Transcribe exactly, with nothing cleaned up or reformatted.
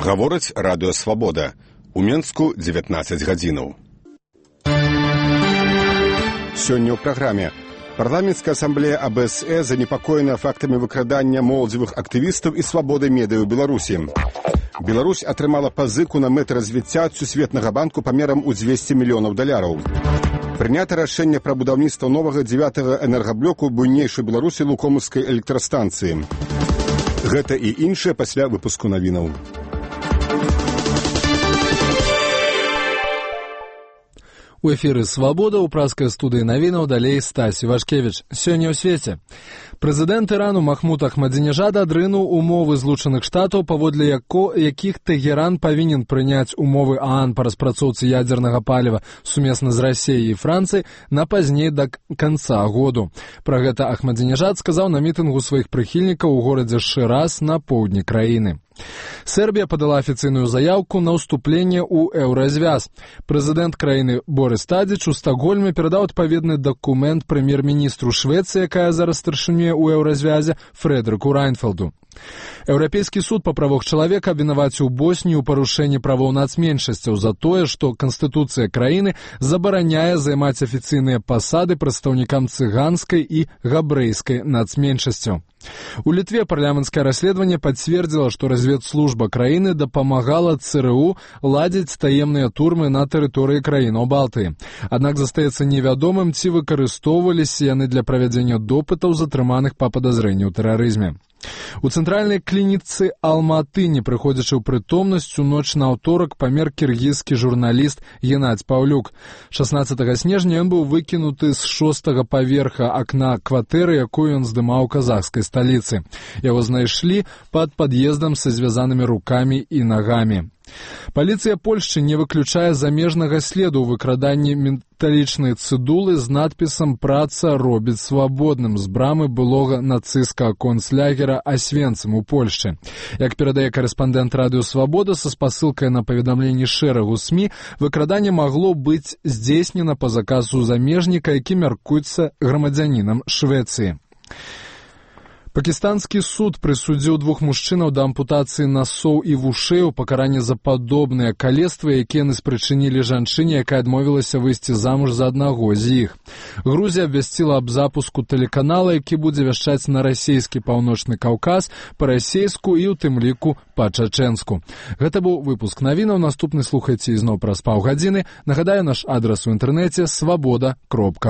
Гаворыць радыё «Свабода». У Менску дзевятнаццаць гадзінаў. Сёння ў праграме. Парламенцкая асамблея А Б С Э занепакоена фактамі выкрадання моладзевых актывістаў і свабоды медыа ў Беларусі. Беларусь атрымала пазыку на мэты развіцця ад Сусветнага банку памерам у дзвесце мільёнаў даляраў. Прынята рашэнне пра будаўніцтва новага дзевятага энергаблоку буйнейшай Беларусі Лукомаўскай электрастанцыі. Гэта і іншае пасля выпуску навінаў. У эфіры «Свабода» ў праскай студыі навінаў далей Стась Івашкевіч. Сёння ў свеце. Прэзідэнт Ірану Махмуд Ахмадзінежад адрынуў умовы Злучаных Штатаў, паводле яко, якіх Тэгеран павінен прыняць умовы ААН па распрацоўцы ядзернага паліва сумесна з Расіяй і Францыяй на пазней да канца году. Пра гэта Ахмадзінежад сказаў на мітынгу сваіх прыхільнікаў у горадзе Шыраз на поўдні краіны. Сербія падала афіцыйную заяўку на ўступленне ў еўразвяз. Прэзідэнт краіны Борис Тадзіч у Стакгольме перадаў адпаведны дакумент прэм'ер-міністру Швецыі, якая зараз старшынюе ў еўразвязе, Фрэдрыку Райнфелду. Еўрапейскі суд па правах чалавека абвінаваціў Боснію ў парушэнні правоў нацменшасцяў за тое, што Канстытуцыя краіны забараняе займаць афіцыйныя пасады прадстаўнікам цыганскай і габрэйскай нацменшасцяў. У Літве парламенцкае расследаванне пацвердзіла, што разведслужба краіны дапамагала Цэ Рэ У ладзіць таемныя турмы на тэрыторыі краінаў Балтыі. Аднак застаецца невядомым, ці выкарыстоўваліся яны для правядзення допытаў затрыманых па падазрэнні ў тэрарызме. У цэнтральнай клініцы Алматы, не прыходзячы ў прытомнасць, у ноч на аўторак памер кіргізскі журналіст Геннадзь Паўлюк. шаснаццатага снежня ён быў выкінуты з шостага паверха акна кватэры, якую ён здымаў у казахскай сталіцы. Яго знайшлі пад пад'ездам са звязанымі рукамі і нагамі. Паліцыя Польшчы не выключае замежнага следу ў выкраданні металічнай цыдулы з надпісам «Праца робіць свабодным» з брамы былога нацысцкага концлагера Асвенцым у Польшчы. Як перадае карэспандэнт радыё «Свабода» са спасылкай на паведамленні шэрагу СМІ, выкраданне магло быць здзейснена па заказу замежніка, які мяркуецца грамадзянінам Швецыі. Пакістанскі суд прысудзіў двух мужчынаў да ампутацыі насоў і вушэй у пакаранні за падобныя калецтвы, якія яны спрычынілі жанчыне, якая адмовілася выйсці замуж за аднаго з іх. Грузія абвясціла аб запуску тэлеканала, які будзе вяшчаць на расійскі Паўночны Каўказ, па-расейску і ў тым ліку па-чачэнску. Гэта быў выпуск навінаў. Наступны слухайце ізноў праз паўгадзіны. Нагадаю, наш адрас у інтэрнэце свабода кропка